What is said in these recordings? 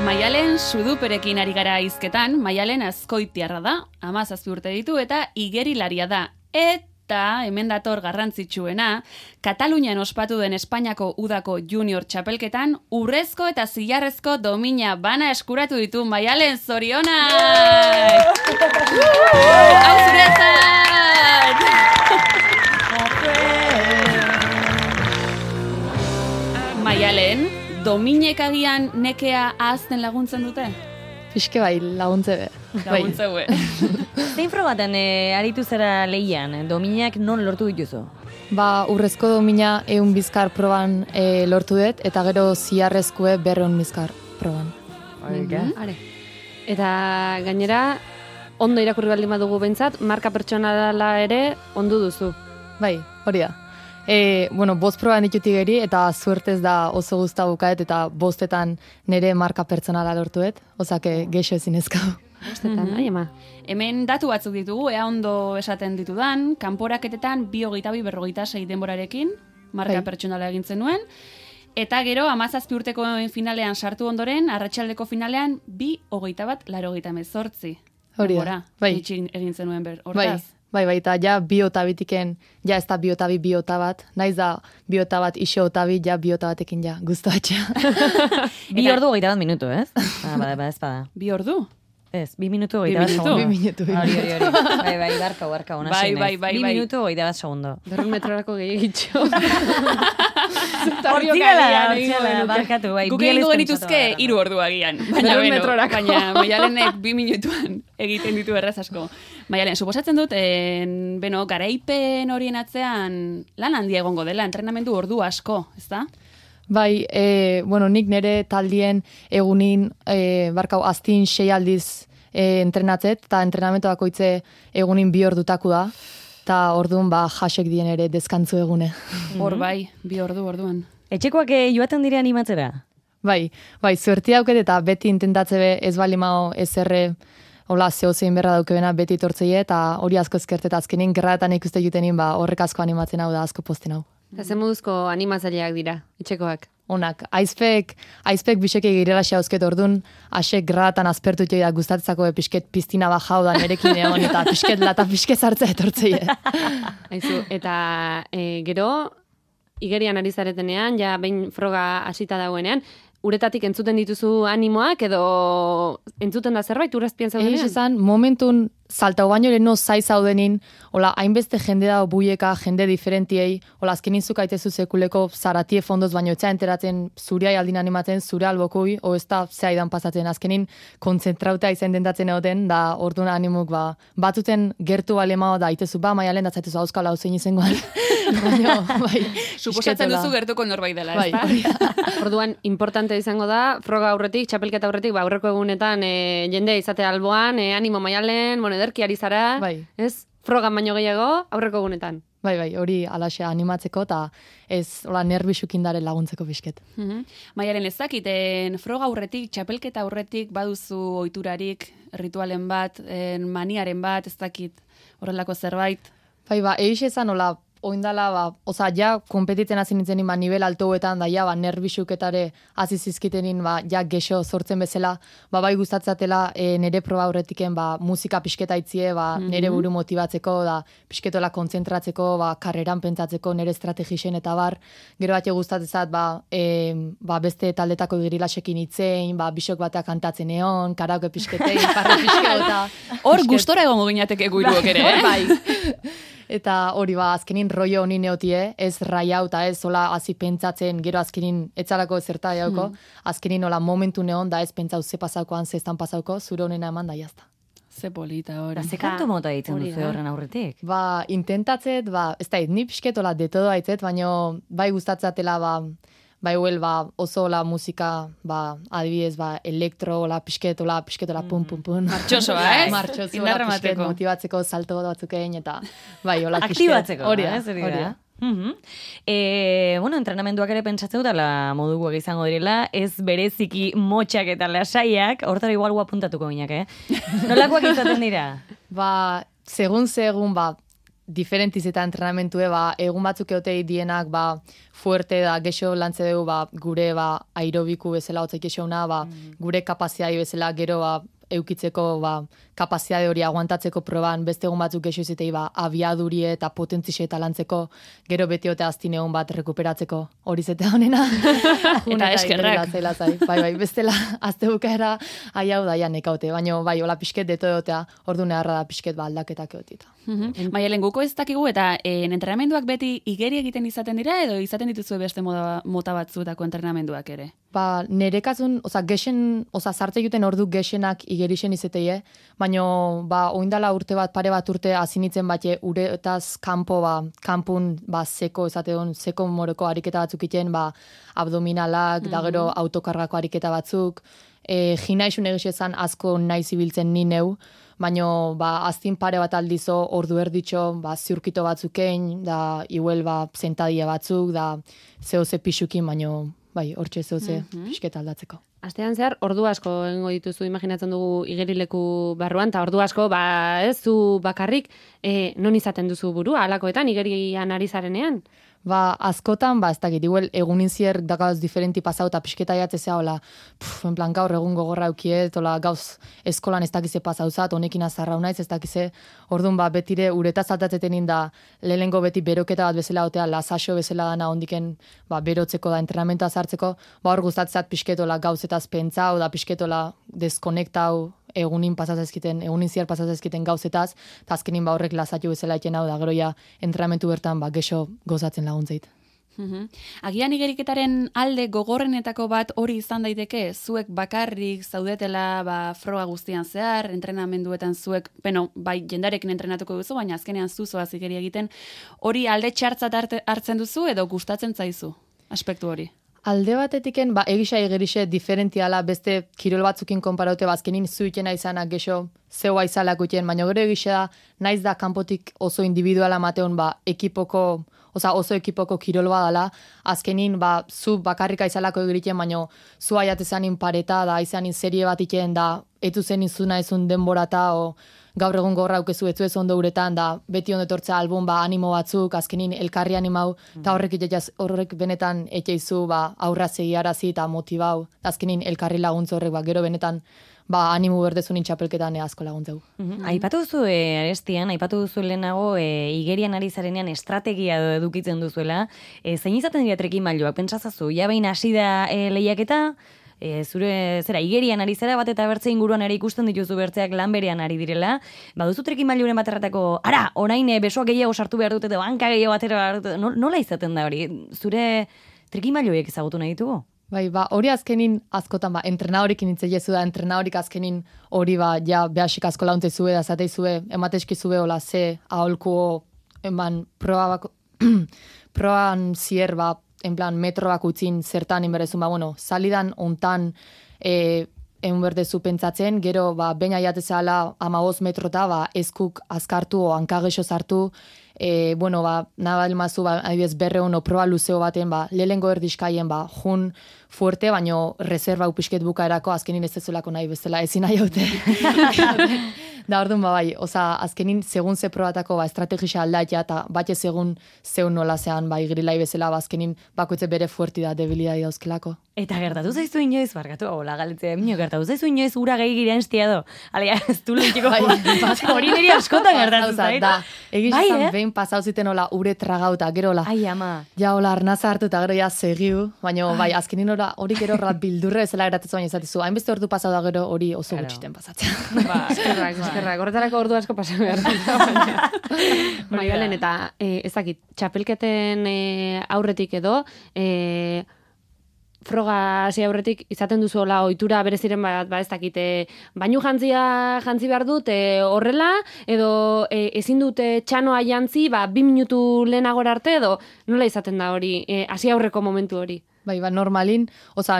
Maialen Suduperekin ari gara hizketan. Maialen Azkoitiarra da, 17 urte ditu eta igerilaria da. Eta hemen dator garrantzitsuena, Katalunian ospatu den Espainiako udako junior txapelketan urrezko eta zilarrezko domina bana eskuratu ditu. Maialen, zorionak! Hau zuretzat! Maialen, dominek agian nekea ahazten laguntzen dute? Fiske bai, laguntze be. Laguntze be. Zein frogaten aritu zera lehian, dominak non lortu dituzu? Ba, urrezko domina 100 bizkar proban lortu dut, eta gero zilarrezkoe 200 bizkar proban. Are. Eta gainera, ondo irakurri baldin badugu behintzat, marka pertsonala ere ondu duzu. Bai, hori da. Bueno, 5 proban ditutik geri, eta suertez da oso guzta bukaet, eta 5etan nire marka pertsonala lortuet, osake geixo ezin ezkau. 5etan, ama. Hemen datu batzuk ditugu, ea ondo esaten ditudan, kanporaketetan 2:22-46 denborarekin, marka pertsonala egintzen nuen, eta gero 17 urteko finalean sartu ondoren, arratsaldeko finalean 2:21-88. Hori da, bai. Egin zenuen hortaz. Bai, eta ja 2:22-eken, ja ez da 2:22, naiz da 2:22 iso 2, ja 2:22-ekin ja, guztatxea. 2 ordu 21 minutu, ez? Bada, ez bada. 2 ordu? Ez, 2 minutu 21 segundo. 2 minutu. Hori. Bai, barka, ona zein. Bai. 2 minutu 21 segundo. 2 metrorako gehiagitxo. Hortzila, barkatu, bai. Guk egingo genituzke 3 ordu agian. Baina Maialenek 2 minutuan egiten ditu erraz asko. Maialen, suposatzen dut, garaipen horien atzean lan handia egongo dela, entrenamendu ordu asko, ezta? Bai, nik nire taldien egunin, aztin 6 aldiz entrenatzet, eta entrenamentu bakoitze egunin 2 ordutaku da, eta orduan jasek dien ere deskantzu egune. Hor bai, 2 ordu orduan. Etxekoak joaten dire animatzera? Bai, zuertia dauket eta beti intentatze be ez bali mao ezerre, hola, zehozein berra daukebena beti tortzeie, eta hori asko ezkertet azkenin gerraetan ikuste jutenin, horrek asko animatzen hau da, asko posten hau. Eta ze moduzko animatzaileak dira, etxekoak? Onak, aizpek biseke girela xauzket ordun, asek gratan azpertu joida gustatzako pisket piztina bajau da nerekin egon, eta pisket sartzea etortzeie. Aizu, eta gero, igerian ari zaretenean, ja behin froga hasita dagoenean, uretatik entzuten dituzu animoak, edo entzuten da zerbait urazpian zaudenean? Egin esan, momentun saltau baino leheno zai zaudenin, hola, hainbeste jende da buieka, jende diferentiei, hola, azkenin zukaitezu sekuleko zaratie fondoz, baino etxea enteratzen zuriai aldin animatzen, zure albokui, o ez da zehaidan pasatzen, azkenin kontzentrauta izan dentatzen egoten, da orduan animuk, batuten gertu balemao da, itezu, Maialen, da zaitezu hauskala hau zein izangoan. Bai, suposatzen duzu gertuko norbait dela, ez da? Orduan, importante izango da, froga aurretik, txapelketa aurretik, aurreko egunetan jende izate alboan, animo Maialen, ederki ari zara, ez? Frogan baino gehiago, aurreko egunetan. Bai, hori alaxe animatzeko, eta ez, hola, nerbisukindaren laguntzeko bisket. Maialen, ez dakiten, froga aurretik, txapelketa aurretik, baduzu ohiturarik, ritualen bat, maniaren bat, ez dakit, horrelako zerbait? Bai, egin ezan, hola, oindala, ja, kompetitzen hasi nintzenin, nivel altoetan, da, ja, nerbisuketare hasi zizkitenin, ja, gexo sortzen bezala, bai gustatzatela nere proba aurretiken, musika pisketa itzie, nere buru motibatzeko, da, pisketola kontzentratzeko, karreran pentsatzeko, nere estrategisen eta bar, gero bat gustatzezat, beste taldetako girilasekin itzein, bisok bateak kantatzen egon, karaoke pisketei, parra pisketa. Hor, gustora egongo gineateke guiruok ere, bai. Eta hori azkenin rollo honi neotie, ez raiau eta ez hola hasi pentsatzen, gero azkenin etzalako zerta jauko, azkenin hola momentu neon da ez pentsau ze pasaukoan, ze estan pasauko, zure honena eman da jazta. Ze polita hori. Ze kantu mota ditzen duzu horren aurretik? Intentatzet, ez da, ni pixket hola de todo haitzet, baina bai gustatzatela, oso la musika, adibidez, elektro, pisketola, pum, pum, pum. Martxosoa, Martxosoa, indarra mateko. Motibatzeko salto batzukein, eta hola pisket. Aktibatzeko, hori da. Entrenamenduak ere pentsatzen dutela moduguak izango direla, ez bereziki motxak eta lasaiak, hortara igual apuntatuko ginak, Nolakoak izaten dira? Segun, diferentiz eta entrenamentue, egun batzuk eotei dienak, fuerte da, gexo lantze dugu, gure, aerobiku bezala, otzaik esauna, gure kapaziai bezala, gero, eukitzeko, kapaziade hori aguantatzeko proban, beste egun batzuk gexo izitei, abiadurie eta potentzixe eta lantzeko, gero beti ote aztin egun bat rekuperatzeko, hori zete honena. Eta eskerrak. Bai, bestela, azte bukaera, hau da, nekaute, baina, hola pixket deto egotea, ordu neharra da pixket aldaketak egotita. Maialen, guko ez dakigu, eta entrenamenduak beti igeri egiten izaten dira, edo izaten dituzue beste mota batzuetako entrenamenduak ere? Nerekazun, gexen, sartze juten ordu gexenak igerixen izeteie, baina, oindala urte bat, pare bat urte azinitzen bate, uretaz kanpun, seko, seko moroko ariketa batzuk iten, abdominalak, da gero autokargako ariketa batzuk, ginaixun egizezan asko nahi zibiltzen ni neu, baina aztin pare bat aldizo ordu erditxo, ziurkito batzukein, da iguel zentadia batzuk, da zehose pixukin, baina hortxe zehose pixketa aldatzeko. Astean zehar, ordu asko egingo dituzu, imaginatzen dugu igerileku barruan, eta ordu asko, ez zu bakarrik, non izaten duzu burua, halakoetan, igerian ari zarenean? Askotan, ez dakit, igual egunin zier da gauz diferenti pasau eta pixketa jatzezea, hola, en plan gaur egun gogorra eukiet, hola, gauz eskolan ez dakize pasauzat, honekin azarrau naiz, ez dakize, orduan betire uretaz altatzetenin da, lehengo beti beroketa bat bezala otea, lasaxo bezala dana ondiken, berotzeko da, entrenamentoa zartzeko, hor gustatzat pixketola gauzetaz pentsau, da pixketola deskonektau, egunin zier pasatzezkiten gauzetaz, eta azkenin horrek lasatu bezala iten hau da, gero ja entrenamentu bertan gexo gozatzen laguntzeit. Agian igeriketaren alde gogorrenetako bat hori izan daiteke, zuek bakarrik zaudetela froga guztian zehar, entrenamenduetan zuek, bai jendarekin entrenatuko duzu, baina azkenean zuzoaz igeri egiten, hori alde txartzat hartzen duzu edo gustatzen zaizu aspektu hori? Alde batetiken, egisa egerixe diferentiala beste kirol batzukin konparaute, azkenin zuitena izanak gexo zeua izalak utien, baina gero egisa da, naiz da kanpotik oso individuala mateon, oso ekipoko kirol badala, azkenin, zu bakarrika izalako egiten, baina zu aiatezanin pareta, da izanin serie bat iten, da etu zen izuna ezun denborata, gaur egun gorra aukezu etzu ez ondo uretan, da beti ondo etortzea album, animo batzuk, azkenin elkarri animau, eta horrek benetan etxeizu, aurra segiarazi eta motibau, azkenin elkarri laguntza horrek, gero benetan, animo berdezunin txapelketan asko laguntzeu. Aipatu duzu, Arestian, aipatu duzu lehenago, igerian ari zarenean estrategia edukitzen duzuela, zein izaten dira trikimailuak, pentsazazu, behin hasi da lehiaketa, zure igerian ari zera bat eta bertze inguruan ere ikusten dituzu bertzeak lan berean ari direla, baduzu trikimailuren bat erratako, orain besoak gehiago sartu behar dute, banka gehiago batera behar dute, nola izaten da hori? Zure trikimailuek ezagutu nahi ditugu? Hori azkenin askotan, entrenadorikin intzeiezu da, entrenadorik azkenin hori behasik asko launtzezue, da zateizue, ematezkizue, hola, ze aholkuo, proban zier, en plan, metro bak utzin zertan inberezun, salidan ontan berdezu pentsatzen, gero, baina jatezala 15 metrota, eskuk azkartu o hankagexo sartu, nabal mazu, adibidez, berreun o proba luzeo baten, lehengo erdiskaien, jun fuerte, baino reserva upisket bukaerako azkenin ez ezolako nahi bezala, ezin nahi haute. Da orduan, azkenin segun ze probatako estrategisa aldaitea, eta batxe segun zeun nola zean, igrilai bezala, azkenin bakoitze bere fuerti da, debilidadi dauzkelako. Eta gertatu zaizu inoiz, barkatu, hola galetzea, gertatu zaizu inoiz ura gehi girean estiado. Alea, ez du lehitiko, hori niri askotan gertatu zaitu. Egizan behin pasau ziten hola ure tragauta, gero hola. Ai, ama. Ja hola arnaza hartu eta gero ja segiu, baina azkenin hori gero bildurre ezela geratzen baina izatezu. Hainbeste ordu pasau da gero hori oso gutxiten pasatzen. Eskerrak, horretarako ordu asko pasau behar. Maialen, eta ezakit, txapelketen aurretik edo, froga hasi aurretik izaten duzu hola ohitura bereziren bat, ez dakite, bainu jantzi behar dut horrela, edo ezin dute txanoa jantzi, 2 minutu lehenagora arte, edo nola izaten da hori, hasi aurreko momentu hori? Normalin,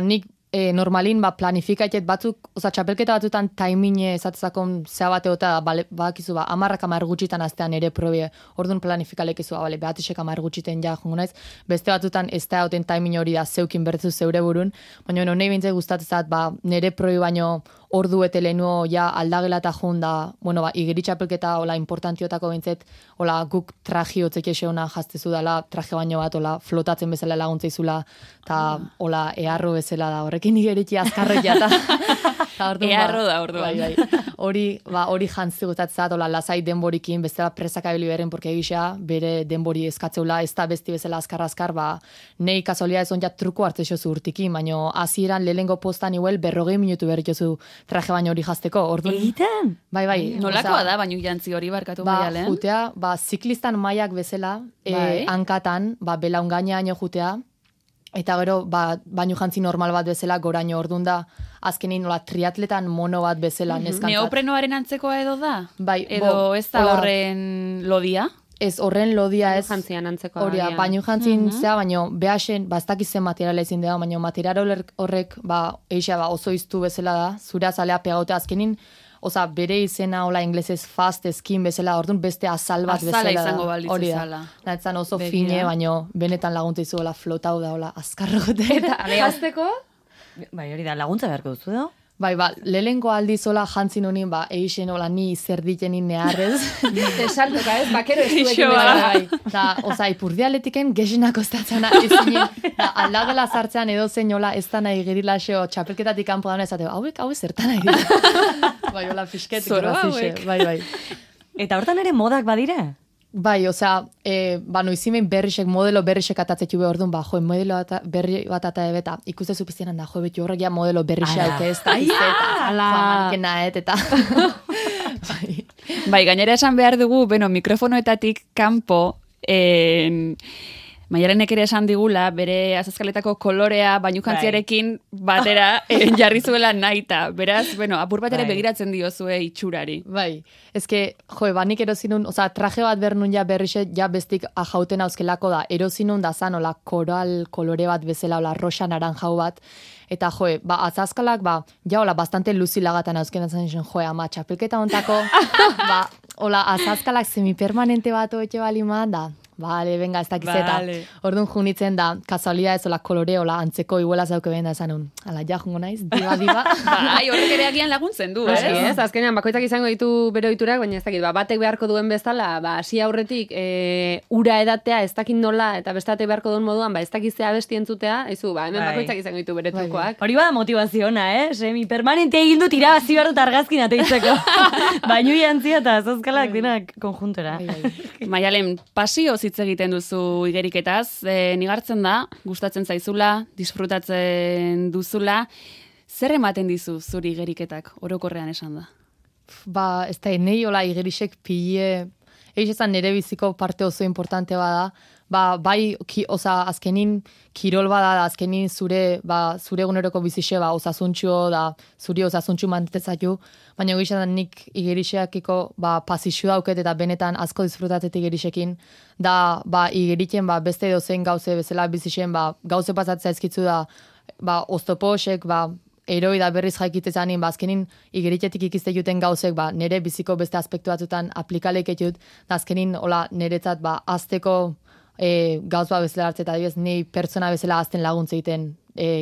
nik normalin planifikaitet batzuk, txapelketa batzutan taimine ezatzakon zea bateota, bakizu, 10 gutxitan astean ere probe, orduan planifikalekizu, behatisek 10 gutxiten jongo naiz, beste batzutan ez da hauten taimine hori da zeukin bertzu zeure burun, baina nahi bintzai gustatzezat, nire probe baino ordu ete lehenuo ja aldagela eta junda, bueno, ba, igeritxapelketa hola importantiotako bintzet, hola guk traji hotzek eseona jaztezu dela, traje baino bat, hola flotatzen bezala laguntzeizula, eta hola eharro bezala da, horrekin igeritxi azkarrek jata. Eharro da, orduan. Hori jantzi gustatzat, hola lasai denborikin, bestela presaka ebili berren, porque egisa bere denbori eskatzeula, ez da besti bezala azkar, ba, nei kasolia ez onja truko hartze xozu urtikin, baino hasieran lehengo postan igual 40 minutu berritozu traje baino hori jazteko. Orduan. Egiten? Bai. Nolakoa da, baino jantzi hori barkatu Maialen? Jutea, ziklistan maiak bezala, hankatan, belaungainaino jutea, eta gero, baino jantzi normal bat bezala, goraino ordun da, azkenin nola triatletan mono bat bezala neskantzat. Neoprenoaren antzekoa edo da? Bai. Edo ez da horren lodia? Ez, horren lodia ez. Jantzian antzekoa. Horia, baino jantzin zea, baino behasen, ez dakizen materiala ezin da, baino material horrek, eixa, oso iztu bezala da, zure azalea pegaute azkenin, oza, bere izena, hola, inglesez fast skin bezala, orduan beste azal bat bezala. Azala izango balitz bezala. Nahetzan oso fine, baino benetan laguntza hola, flotau da, hola, azkarrote. Eta jazteko? Bai, hori da, laguntza beharko duzu da? Bai, lehenko aldizola jantzin honin, eixen hola ni zer ditenin neharrez. Esaltoka ez, bakero ez duekin bai. Da, oza, ipurdialetiken gexinak ostatzana ezinen. Da, aldagela zartzean edo zein hola ez da nahi gerilaxeo txapelketatik kanpo dauna ezateo, hauek zertan nahi dira. Bai, hola, fisket, grazixe. Bai. Eta hortan ere modak badira? Bai, osea, noizimen modelo berrisek atatzetxu behar orduan, modelo berri bat eta ebeta, ikuste zupizienan da, beti horrek ja modelo berrixe hauke ez da, eta. Bai, gainera esan behar dugu, mikrofonoetatik kanpo, Maialenek ere esan digula, bere azazkaletako kolorea bainujantziarekin batera jarri zuela naita. Beraz, apur bat ere begiratzen diozue itxurari. Bai, ezke, banik erozinun, oza, traje bat bernun ja berrixe, ja bestik ajauten hauzkelako da, erozinun da zan, ola, koral kolore bat bezala, ola, rosa naranjau bat, eta azazkalak, ja, ola, bastante luzilagatan hauzken zen, ama, txapelketa ontako, ola, azazkalak semipermanente bat oetxe balima da, Vale, venga, ez dakizeta. Vale. Orduan junitzen da, kasualia ez ola kolore, ola antzeko iguela zauke behen da esan ala, ja, jungo naiz, diba. Bai, horrek ere agian laguntzen du, ez? Azkenean, bakoitzak izango ditu bere ohiturak, baina ez dakit, batek beharko duen bezala, hasi aurretik, ura edatea, ez dakit nola, eta bestatek beharko duen moduan, ez dakitzea besti entzutea, hemen bakoitzak izango ditu bere trukoak. Hori bada motivaziona, semi permanente egin dut irabazi behar dut argazkin ateitzeko. Bainu jantzia eta azazkalak dinak konjuntora. Maialen, pasio hitz egiten duzu igeriketaz, nigartzen da, gustatzen zaizula, disfrutatzen duzula, zer ematen dizu zuri igeriketak, orokorrean esan da? Ez da, nahi hola igerisek pile, egizan nire biziko parte oso importante bada, bai, azkenin kirol bada, azkenin zure eguneroko bizixe, osasuntxo da, zuri osasuntxu mantetezatu, baina egizan nik igeriseakiko pasixu dauket eta benetan asko disfrutatet igerisekin, da igeriken beste dozen gauze bezala bizixen, gauze pasatzea ezkitzu da, oztoposek, eroi da berriz jaikitzezanin, azkenin igeriketik ikizte juten gauzek, nire biziko beste aspektu batzutan aplikaleketut, da azkenin niretzat azteko gauz bezala hartzeta, adibidez, ni pertsona bezala azten laguntza egiten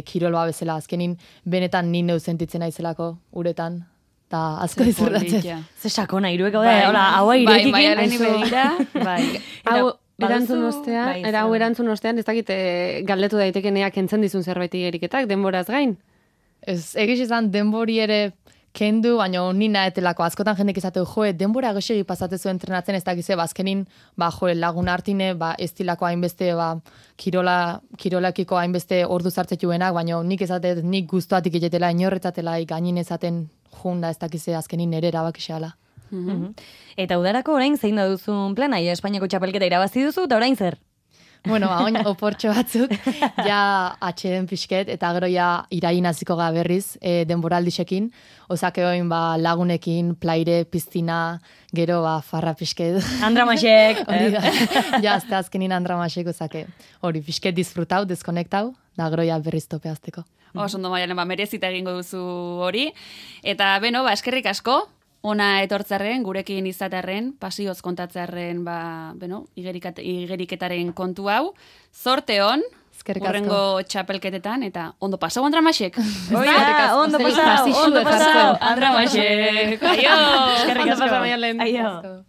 kirol bezala, azkenin benetan ni neu sentitzen naizelako uretan, eta asko disfrutatzen. Ze sakona, iruek hau da, hau irekikin. Bai, maialeni begira, bai. Hau erantzun ostean, ez dakit galdetu daitekeneak entzen dizun zerbait igeriketak, denboraz gain? Ez, egiz izan denbori ere kendu, baina ni naetelako, askotan jendek izateu, denbora goxegi pasatezu entrenatzen ez dakize, azkenin, lagun hartine, ez tilako hainbeste, kirolakiko hainbeste ordu zartzetuenak, baina nik ezatet, nik guztuatik egetela, inorretzatela, gainin ezaten junda ez dakize, azkenin nere erabakixeala. Eta udarako orain zein da duzun plana, Espainiako txapelketa irabazi duzu, eta orain zer? Bueno, oin oportxo batzuk, ja atxeden pixket, eta gero ja irain hasiko ga berriz denboraldisekin, osake oin lagunekin, plaire, piztina, gero farra pixket. Andramasek! Ja, azte azkenin andramasek, osake hori pixket disfrutau, deskonektau, da gero ja berriz tope azteko. Ondo Maialen, merezita egingo duzu hori, eta eskerrik asko, ona etortzarren, gurekin izatearren, pasioz kontatzarren, igeriketaren kontu hau. Zorte hon, Eskerrik asko. Urrengo txapelketetan, eta ondo pasau Andramasek. Oia, ondo pasau, Ondo pasau, Andramasek. Aio! Eskerrik Ondo asko. pasa, Maialen. Aio.